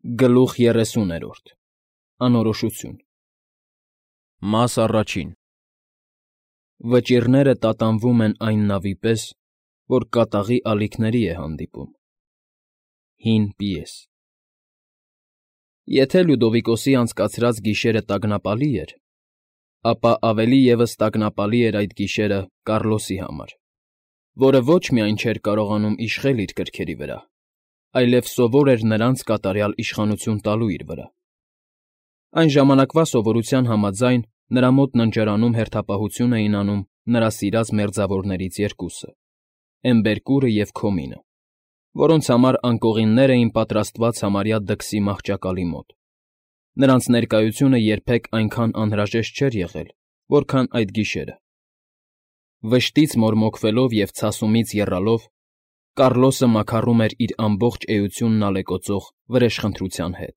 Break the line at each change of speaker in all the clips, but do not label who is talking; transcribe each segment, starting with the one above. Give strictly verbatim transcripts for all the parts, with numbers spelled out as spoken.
Գլուխ երեսուներորդ Անորոշություն Մաս առաջին Վճիռները տատանվում են այն նավի պես, որ կատաղի ալիքների է հանդիպում։ Հին պիես Եթե Լյուդովիկոսի անցկացրած գիշերը տագնապալի էր, ապա ավելի ևս տագնապալի էր այդ գիշերը Կառլոսի համար, որը ոչ միայն չէր կարողանում իշխել իր գրքերի վրա, այլև սովոր էր նրանց կատարյալ իշխանություն տալու իր վրա։ Այն ժամանակվա սովորության համաձայն նրա մոտ ննջարանում հերթապահություն էին անում նրա սիրած մերձավորներից երկուսը՝ Էմբերկուրը և Քոմինը, որոնց համար անկողիններ էին պատրաստված համարյա դքսի մահճակալի մոտ։ Նրանց ներկայությունը երբեք այնքան անհրաժեշտ չէր եղել, որքան այդ գիշերը։ Վշտից մորմոքվելով և ցասումից եռալով, Կառլոսը մաքառում էր իր ամբողջ էությունն ալեկոծող վրեժխնդրության հետ,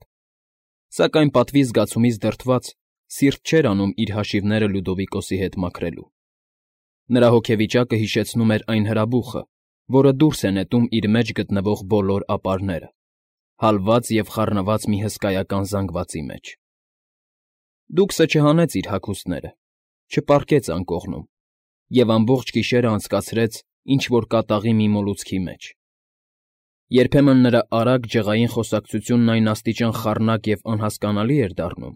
սակայն պատվի զգացումից դրդված սիրտ չէր անում իր հաշիվները Լյուդովիկոսի հետ մաքրելու։ Նրա հոգեվիճակը հիշեցնում էր այն հրաբուխը, որը դուրս է նետում իր մեջ գտնվող բոլոր ապարները, հալված և խառնված մի հսկայական զանգվածի մեջ։ Դուքսը չհանեց իր հագուստները, չպառկեց անկողնում և ամբողջ գիշերը անցկացրեց ինչ֊որ կատաղի մի մոլուցքի մեջ։ Երբեմն նրա արագ, ջղային խոսակցությունն այն աստիճան խառնակ և անհասկանալի էր դառնում,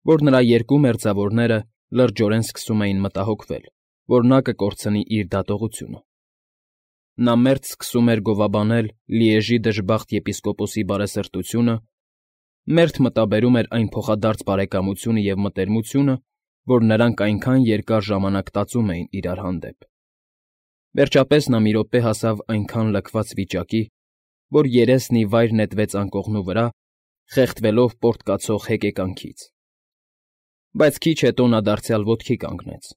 որ նրա երկու մերձավորները լրջորեն սկսում էին մտահոգվել, որ նա կկորցնի իր դատողությունը։ Նա մերթ սկսում էր գովաբանել Լիեժի դժբախտ եպիսկոպոսի բարեսրտությունը, մերթ մտաբերում էր այն փոխադարձ բարեկամությունը և մտերմությունը, որ նրանք այնքան երկար ժամանակ տածում էին իրար հանդեպ։ Վերջապես նա մի րոպե հասավ այնքան լքված վիճակի, որ երեսն ի վայր նետվեց անկողնու վրա, խեղդվելով պոռթկացող հեկեկանքից։ Բայց քիչ հետո նա դարձյալ ոտքի կանգնեց,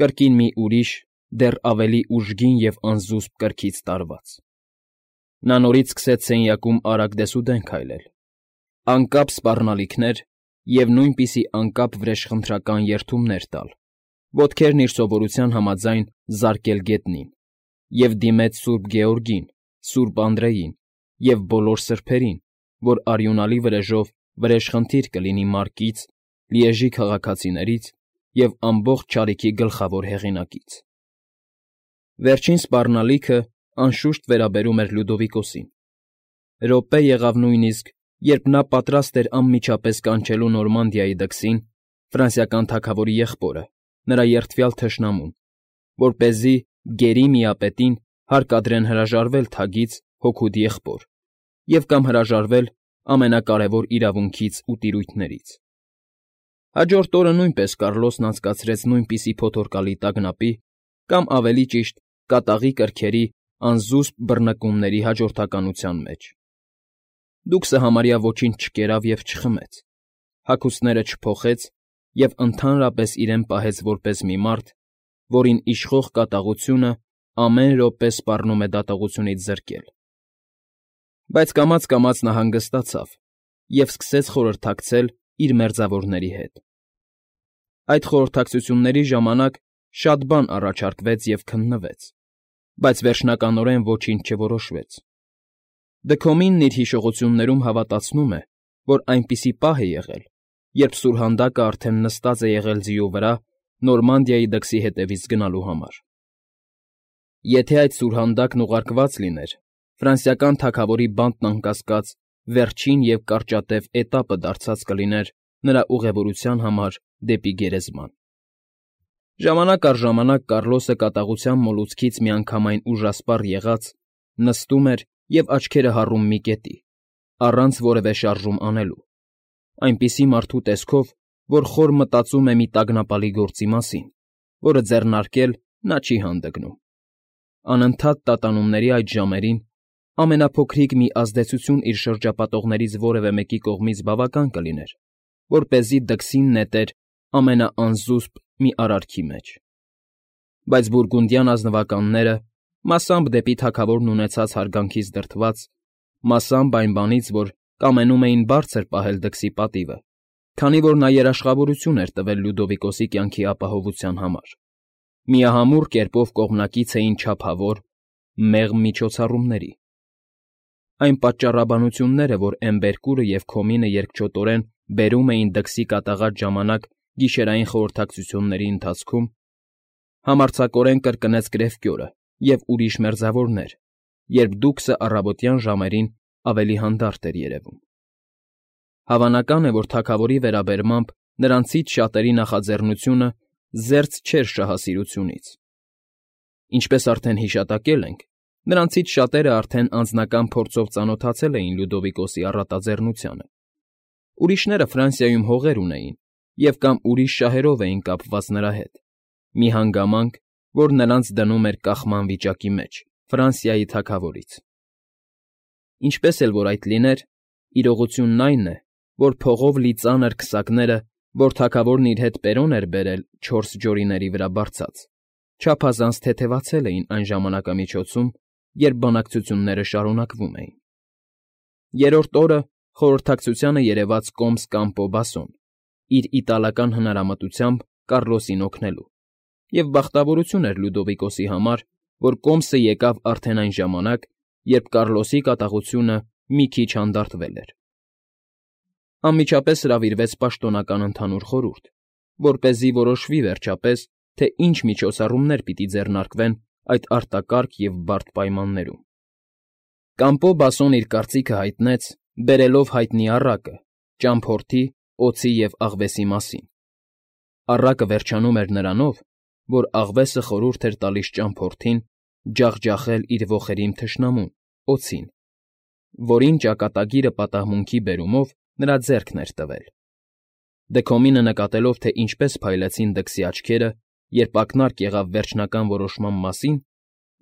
կրկին մի ուրիշ, դեռ ավելի ուժգին և անզուսպ կրքից տարված։ Նա նորից սկսեց սենյակում արագ դեսուդեն քայլել, անկապ սպառնալիքներ և նույնպիսի անկապ վրեժխնդրական երդումներ տալ, ոտքերն իր սովորության համաձայն զարկել գետնին, և դիմեց սուրբ Գեորգին, սուրբ Անդրեին և բոլոր սրբերին, որ արյունալի վրեժով վրեժխնդիր կլինի Մարկից, Լիեժի քաղաքացիներից և ամբողջ չարիքի գլխավոր հեղինակից։ Վերջին սպառնալիքը, անշուշտ, վերաբերում էր Լյուդովիկոսին։ Րոպե եղավ նույնիսկ, երբ նա պատրաստ էր անմիջապես կանչելու Նորմանդիայի դքսին, ֆրանսիական թագավորի եղբորը, նրա երդվյալ թշնամուն, որպեսզի, գերի միապետին, հարկադրեն հրաժարվել թագից հօգուտ եղբոր և կամ հրաժարվել ամենակարևոր իրավունքից ու տիրույթներից։ Հաջորդ օրը նույնպես Կառլոսն անցկացրեց նույնպիսի փոթորկալի տագնապի կամ, ավելի ճիշտ, կատաղի կրքերի անզուսպ բռնկումների հաջորդականության մեջ։ Դուքսը համարյա ոչինչ չկերավ և չխմեց, հագուստները չփոխեց և ընդհանրապես իրեն պահեց որպես մի մարդ, որին իշխող կատաղությունը ամեն րոպե սպառնում է դատողությունից զրկել։ Բայց կամաց֊կամաց նա հանգստացավ և սկսեց խորհրդակցել իր մերձավորների հետ։ Այդ խորհրդակցությունների ժամանակ շատ բան առաջարկվեց և քննվեց, բայց վերջնականորեն ոչինչ չորոշվեց։ Դքոմինն իր հիշողություններում հավատացնում է, որ այնպիսի պահ է եղել, երբ սուրհանդակը արդեն նստած է եղել ձիու վրա Նորմանդիայի դքսի հետևից գնալու համար։ Եթե այդ սուրհանդակն ուղարկված լիներ, ֆրանսիական թագավորի բանտն անկասկած վերջին և կարճատև էտապը դարձած կլիներ նրա ուղևորության համար դեպի գերեզման։ Ժամանակ առ ժամանակ Կառլոսը կատաղության մոլուցքից միանգամայն ուժասպառ եղած, նստում էր և աչքերը հառում մի կետի, առանց որևէ շարժում անելու, այնպիսի մարդու տեսքով, որ խոր մտածում է մի տագնապալի գործի մասին, որը ձեռնարկել նա չի հանդգնում։ Անընդհատ տատանումների այդ ժամերին ամենափոքրիկ մի ազդեցություն իր շրջապատողներից որևէ մեկի կողմից բավական կլիներ, որպեսզի դքսին նետեր ամենաանզուսպ մի արարքի մեջ։ Բայց բուրգունդյան ազնվականները, մասամբ դեպի թագավորն ունեցած հարգանքից դրդված, մասամբ այն բանից, որ կամենում էին բարձր պահել դքսի պատիվը, քանի որ նա երաշխավորություն էր տվել Լյուդովիկոսի կյանքի ապահովության համար, միահամուռ կերպով կողմնակից էին չափավոր, մեղմ միջոցառումների։ այն պատճառաբանությունները, որ Էմբերկուրը և Քոմինը երկչոտորեն բերում էին դքսի կատաղած ժամանակ գիշերային խորհրդակցությունների ընթացքում, համարձակորեն կրկնեց Գրեֆկյորը և ուրիշ մերձավորներ, երբ Դուքսը առավոտյան ժամերին ավելի հանդարտ էր երևում։ Հավանական է, որ թագավորի վերաբերմամբ նրանցից շատերի նախաձեռնությունը զերծ չէր շահասիրությունից։ Ինչպես արդեն հիշատակել ենք, նրանցից շատերը արդեն անձնական փորձով ծանոթացել էին Լյուդովիկոսի առատաձեռնությանը։ Ուրիշները Ֆրանսիայում հողեր ունեին և կամ ուրիշ շահերով էին կապված նրա հետ, մի հանգամանք, որ նրանց դնում էր կախման վիճակի մեջ Ֆրանսիայի թագավորից։ Ինչպես էլ որ այդ լիներ, իրողությունն այն է, որ փողով լի ծանր քսակները, որ թագավորն իր հետ Պերոն էր բերել չորս ջորիների վրա բարձած, չափազանց թեթևացել էին այն ժամանակամիջոցում, երբ բանակցությունները շարունակվում էին։ Երրորդ օրը խորհրդակցությանը երևաց կոմս Կամպո Բասոն, իր իտալական հնարամտությամբ Կառլոսին օգնելու, և բախտավորություն էր Լյուդովիկոսի համար, որ կոմսը եկավ արդեն այն ժամանակ, երբ Կառլոսի կատաղությունը մի քիչ հանդարտվել էր։ Անմիջապես հրավիրվեց պաշտոնական ընդհանուր խորհուրդ, որպեսզի որոշվի վերջապես, թե ինչ միջոցառումներ պիտի ձեռնարկվեն այդ արտակարգ և բարդ պայմաններում։ Կամպո Բասոն իր կարծիքը հայտնեց, բերելով հայտնի առակը, ճամփորդի, օձի և աղվեսի մասին։ Առակը վերջանում էր նրանով, որ աղվեսը խորհուրդ էր տալիս ճամփորդին ջախջախել իր ոխերիմ թշնամուն՝ օձին, որին ճակատագիրը պատահմունքի բերումով նրա ձեռքն էր տվել։ Դքոմինը նկատելով, թե ինչպես փայլեցին դքսի աչքերը, երբ ակնարկ եղավ վերջնական որոշման մասին,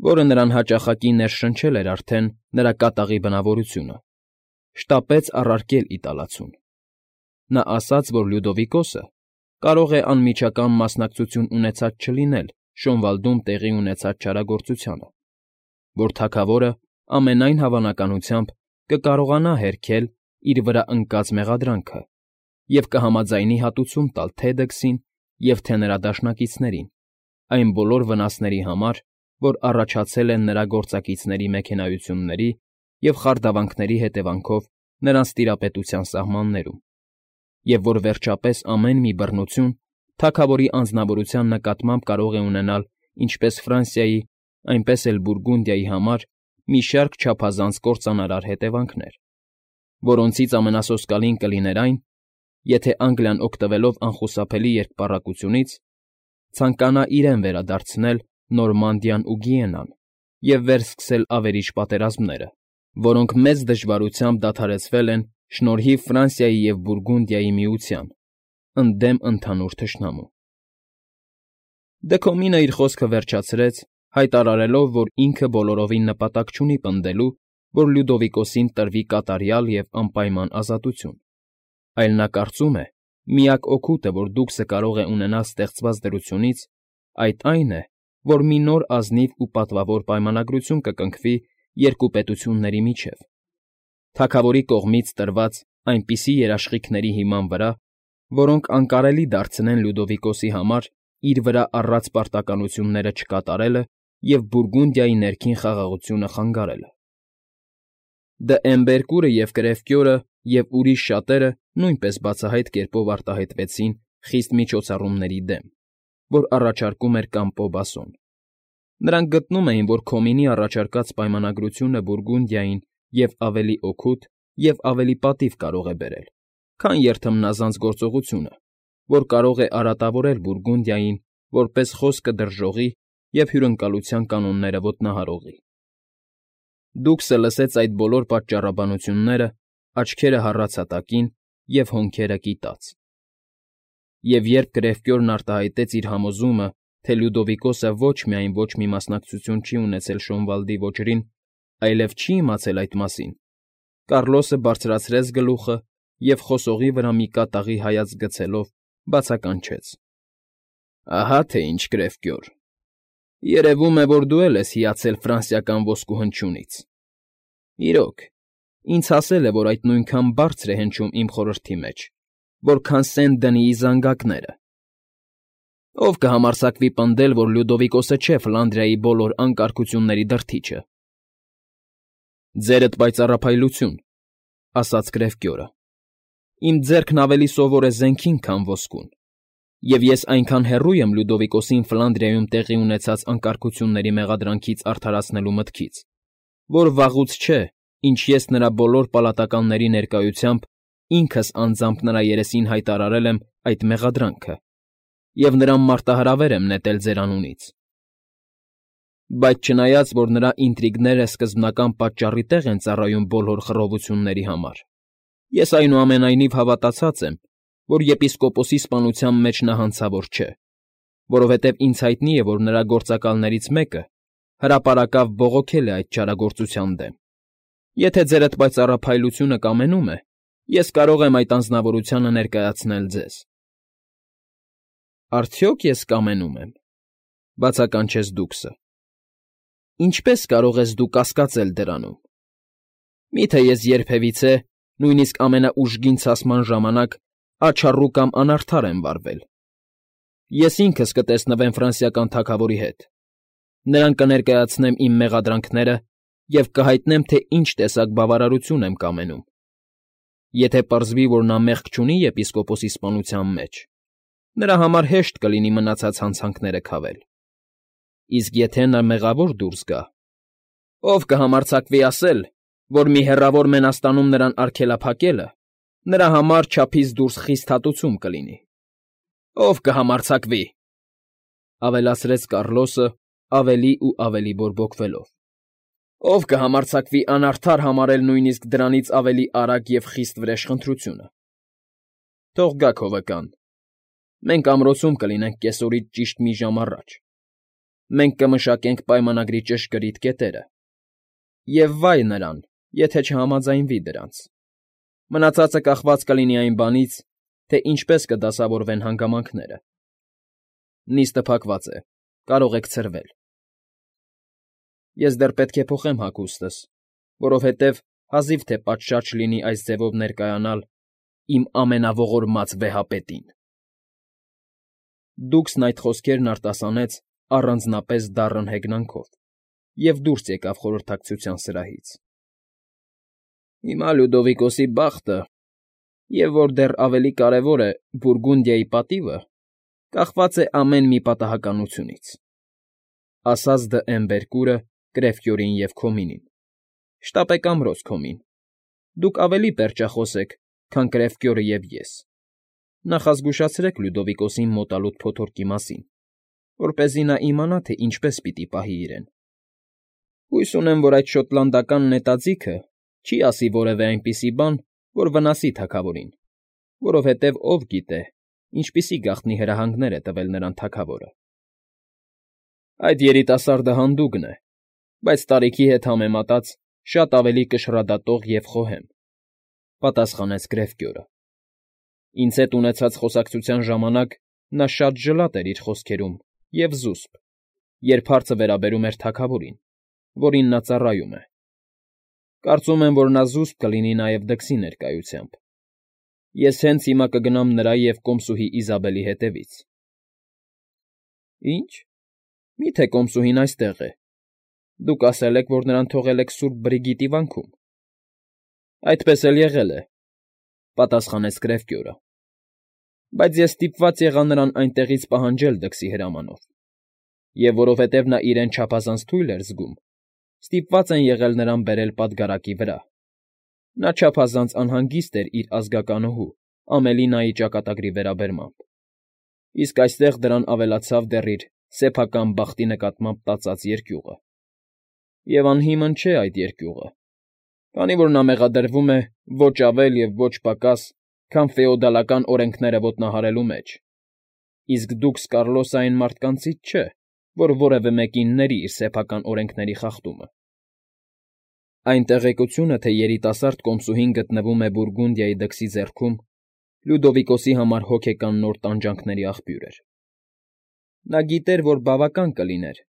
որը նրան հաճախակի ներշնչել էր արդեն նրա կատաղի բնավորությունը, շտապեց առարկել իտալացուն։ Նա ասաց, որ Լյուդովիկոսը կարող է անմիջական մասնակցություն ունեցած չլինել Շոնվալդում տեղի ունեցած չարագործությանը, որ թագավորը ամենայն հավանականությամբ կկարողանա հերքել իր վրա ընկած մեղադրանքը և կհամաձայնի հատուցում տալ թե դքսին և թե նրա դաշնակիցներին այն բոլոր վնասների համար, որ առաջացել են նրա գործակիցների մեքենայությունների և խարդավանքների հետևանքով նրանց տիրապետության սահմաններում, և որ վերջապես ամեն մի բռնություն թագավորի անձնավորության նկատմամբ կարող է ունենալ ինչպես Ֆրանսիայի, այնպես էլ Բուրգունդիայի համար մի շարք չափազանց կործանարար հետևանքներ, որոնցից ամենասոսկալին կլիներ այն, եթե Անգլիան օգտվելով անխուսափելի երկպառակությունից, ցանկանա իրեն վերադարձնել Նորմանդիան ու Գիենան և վերսկսել ավերիչ պատերազմները, որոնք մեծ դժվարությամբ դադարեցվել են շնորհիվ Ֆրանսիայի և Բուրգունդիայի միության, ընդդեմ ընդհանուր թշնամու։ Դքոմինը իր խոսքը վերջացրեց, հայտարարելով, որ ինքը բոլորովին նպատակ չունի պնդելու, որ Լյուդովիկոսին տրվի կատարյալ և անպայման ազատություն, այլ նա կարծում է, միակ օգուտը, որ Դուքսը կարող է ունենալ ստեղծված դրությունից, այդ այն է, որ մի նոր ազնիվ ու պատվավոր պայմանագրություն կկնքվի երկու պետությունների միջև, թագավորի կողմից տրված այնպիսի երաշխիքների հիման վրա, որոնք անկարելի դարձնեն Լյուդովիկոսի համար իր վրա առած պարտականությունները չկատարելը և Բուրգունդիայի ներքին խաղաղությունը խանգարելը։ Դե Էմբերկուրը և Կրեֆկյորը և ուրիշ շատերը նույնպես բացահայտ կերպով արտահայտվեցին խիստ միջոցառումների դեմ, որ առաջարկում էր Կամպո Բասոն։ Նրանք գտնում էին, որ Քոմինի առաջարկած պայմանագրությունը Բուրգունդիային և ավելի օգուտ և ավելի պատիվ կարող է բերել, քան երթմնազանց գործողությունը, որ կարող է արատավորել Բուրգունդիային որպես խոսքը դրժողի և հյուրընկալության կանոնները ոտնահարողի։ Դուքսը լսեց այդ բոլոր պատճառաբանությունները, աչքերը հառաց հատակին և հոնքերը կիտած։ Եվ երբ Կրեֆկյորն արտահայտեց իր համոզումը, թե Լյուդովիկոսը ոչ միայն ոչ մի մասնակցություն չի ունեցել Շոնվալդի ոճրին, այլև չի իմացել այդ մասին, Կառլոսը բարձրացրեց գլուխը և խոսողի վրա մի կատաղի հայացք գցելով բացականչեց. ֊ Ահա թե ինչ, Կրեֆկյոր, երևում է, որ դու էլ ես հիացել ֆրանսիական ոսկու հնչյունից։ Իրոք, ինձ հասել է, որ այդ նույնքան բարձր է հնչում իմ խորհրդի մեջ, որքան Սենտ Դնիի զանգակները։ Ո՞վ կհամարձակվի պնդել, որ Լյուդովիկոսը չէ Ֆլանդրիայի բոլոր անկարգությունների դրդիչը։ Ձերդ պայծառափայլություն, ասաց Գրևկյորը։ Իմ ձեռքն ավելի սովոր է զենքին, քան ոսկուն, և ես այնքան հեռու եմ Լյուդովիկոսին Ֆլանդրիայում տեղի ունեցած անկարգությունների մեղադրանքից արդարացնելու մտքից, որ վաղուց չէ, ինչ ես նրա բոլոր պալատականների ներկայությամբ ինքս անձամբ նրա երեսին հայտարարել եմ այդ մեղադրանքը և նրան մարտահրավեր եմ նետել ձեր անունից։ Բայց չնայած, որ նրա ինտրիգները սկզբնական պատճառի տեղ են ծառայում բոլոր խռովությունների համար, ես այնուամենայնիվ հավատացած եմ, որ եպիսկոպոսի սպանության մեջ նա հանցավոր չէ, որովհետև ինձ հայտնի է, որ նրա գործակալներից մեկը հրապարակավ բողոքել է այդ չարագործության դեմ։ Եթե ձերդ պայծառափայլությունը կամենում է, ես կարող եմ այդ անձնավորությանը ներկայացնել ձեզ։ Արդյոք ես կամենում եմ,֊ բացականչեց դուքսը։ Ինչպե՞ս կարող ես դու կասկածել դրանում։ Մի՞թե ես երբևիցե, նույնիսկ ամենաուժգին ցասման ժամանակ, աչառու կամ անարդար եմ վարվել։ Ես ինքս կտեսնվեմ ֆրանսիական թագավորի հետ, նրան կներկայացնեմ իմ մեղադրանքները և կհայտնեմ, թե ինչ տեսակ բավարարություն եմ կամենում։ Եթե պարզվի, որ նա մեղք չունի եպիսկոպոսի սպանության մեջ, նրա համար հեշտ կլինի մնացած հանցանքները քավել։ Իսկ եթե նա մեղավոր դուրս գա, ով կհամարձակվի ասել, որ մի հեռավոր մենաստանում նրան արգելափակելը նրա համար չափից դուրս խիստ հատուցում կլինի։ Ով կհամարձակվի,֊ ավելացրեց Կառլոսը ավելի ու ավելի բորբոքվելով,֊ ով կհամարձակվի անարդար համարել նույնիսկ դրանից ավելի արագ և խիստ վրեժխնդրությունը։ Թող գա քովկան, մենք ամրոցում կլինենք կեսօրից ճիշտ մի ժամ առաջ, մենք կմշակենք պայմանագրի ճշգրիտ կետերը, և վայ նրան, եթե չհամաձայնվի դրանց։ Մնացածը կախված կլինի այն բանից, թե ինչպես կդասավորվեն հանգամանքները։ Նիստը փակված է, կարող եք ցրվել։ Ես դեռ պետք է փոխեմ հագուստս, որովհետև հազիվ թե պատշաճ լինի այս ձևով ներկայանալ իմ ամենաողորմած վեհապետին։ Դուքսն այդ խոսքերն արտասանեց առանձնապես դառն հեգնանքով և դուրս եկավ խորհրդակցության սրահից։ Հիմա Լյուդովիկոսի բախտը, և որ դեռ ավելի կարևոր է, Բուրգունդիայի պատիվը, կախված է ամեն մի պատահականությունից,֊ ասաց դ'Եմբերկուրը Կրևկյորին և Քոմինին։֊ Շտապեք ամրոց, Քոմին, դուք ավելի պերճախոս եք, քան Կրևկյորը և ես. նախազգուշացրեք Լյուդովիկոսին մոտալուտ փոթորկի մասին, որպեսզի նա իմանա, թե ինչպես պիտի պահի իրեն։ Հույս ունեմ, որ այդ շոտլանդական նետաձիգը չի ասի որևէ այնպիսի բան, որ վնասի թագավորին, որովհետև ով գիտե, ինչպիսի գաղտնի հրահանգներ է տվել նրան թագավորը։ Այդ երիտասարդը հանդուգն է, բայց տարիքի հետ համեմատած շատ ավելի կշռադատող և խոհեմ,֊ պատասխանեց Գրևկյորը։ Ինձ հետ ունեցած խոսակցության ժամանակ նա շատ ջլատ էր իր խոսքերում և զուսպ, երբ հարցը վերաբերում էր թագավորին, որին նա ծառայում է։ Կարծում եմ, որ նա զուսպ կլինի նաև դքսի ներկայությամբ։ Ես հենց հիմա կգնամ նրա և կոմսուհի Իզաբելի հետևից։ Ի՞նչ, մի՞թե կոմսուհին այստեղ է։ Դուք ասել եք, որ նրան թողել եք սուրբ Բրիգիտի վանքում։ Այդպես էլ եղել է,֊ պատասխանեց Գրևկյորը։ Բայց ես ստիպված եղա նրան այնտեղից պահանջել դքսի հրամանով, և որովհետև նա իրեն չափազանց թույլ էր զգում, ստիպված են եղել նրան բերել պատգարակի վրա։ Նա չափազանց անհանգիստ էր իր ազգականուհու՝ Ամելինայի ճակատագրի վերաբերմամբ, իսկ այստեղ դրան ավելացավ դեռ իր սեփական բախտի նկատմամբ տածած երկյուղը։ Եվ անհիմն չէ այդ երկյուղը, քանի որ նա մեղադրվում է ոչ ավել և ոչ պակաս, քան ֆեոդալական օրենքները ոտնահարելու մեջ, իսկ դուքս Կառլոսը այն մարդկանցից չէ, որ որևէ մեկին ների իր սեփական օրենքների խախտումը։ Այն տեղեկությունը, թե երիտասարդ կոմսուհին գտնվում է Բուրգունդիայի դքսի ձեռքում, Լյուդովիկոսի համար հոգեկան նոր տանջանքների աղբյուր էր։ Նա գիտեր, որ բավական կլիներ,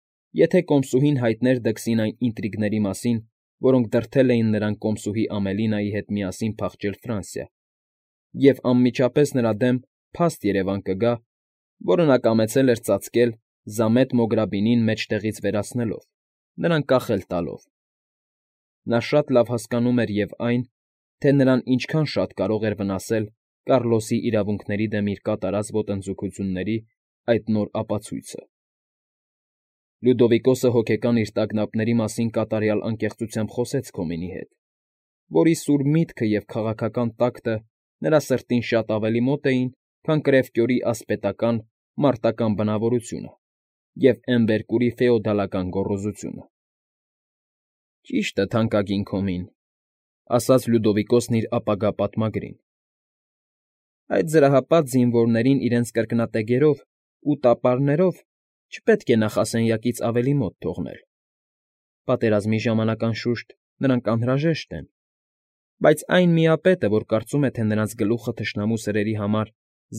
եթե կոմսուհին հայտներ դքսին այն ինտրիգների մասին, որոնք դրդել էին նրան կոմսուհի Ամելինայի հետ միասին փախչել Ֆրանսիա, և անմիջապես նրա դեմ փաստ երևան կգա, որը նա կամեցել էր ծածկել Զամետ Մոգրաբինին մեջտեղից վերացնելով, նրան կախել տալով։ Նա շատ լավ հասկանում էր և այն, թե նրան ինչքան շատ կարող էր վնասել Կառլոսի իրավունքների դեմ իր կատարած ոտնձգությունների այդ նոր ապացույցը։ Լյուդովիկոսը հոգեկան իր տագնապների մասին կատարյալ անկեղծությամբ խոսեց Քոմենի հետ, որի սուր միտքը և քաղաքական տակտը նրա սրտին շատ ավելի մոտ էին, քան կրևկյորի ասպետական, մարտական բնավորությունը և Էմբերկուրի ֆեոդալական գոռոզությունը։ ֊ Ճիշտը, թանկագին Քոմին,֊ ասաց Լյուդովիկոսն իր ապագա պատմագրին,֊ այդ զրահապատ զինվորներին իրենց կրկնատեգերով ու տապարներով չպետք է նախասենյակից ավելի մոտ թողնել. պատերազմի ժամանակ, անշուշտ, նրանք անհրաժեշտ են, բայց այն միապետը, որ կարծում է, թե նրանց գլուխը թշնամու սրերի համար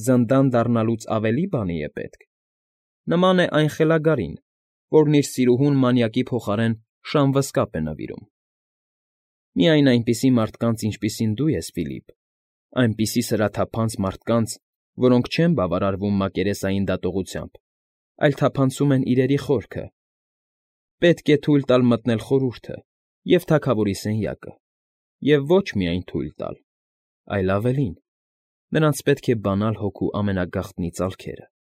զնդան դառնալուց ավելի բանի է պետք, նման է այն խելագարին, որն իր սիրուհուն մանյակի փոխարեն շան վզկապ է նվիրում։ Միայն այնպիսի մարդկանց, ինչպիսին դու ես, Ֆիլիպ, այնպիսի սրաթափանց մարդկանց, որոնք չեն բավարարվում մակերեսային դատողությամբ, այլ թափանցում են իրերի խորքը, պետք է թույլ տալ մտնել խորհուրդը և թագավորի սենյակը, և ոչ միայն թույլ տալ, այլ ավելին, նրանց պետք է բանալ հոգու ամենագաղտնի ծալքերը։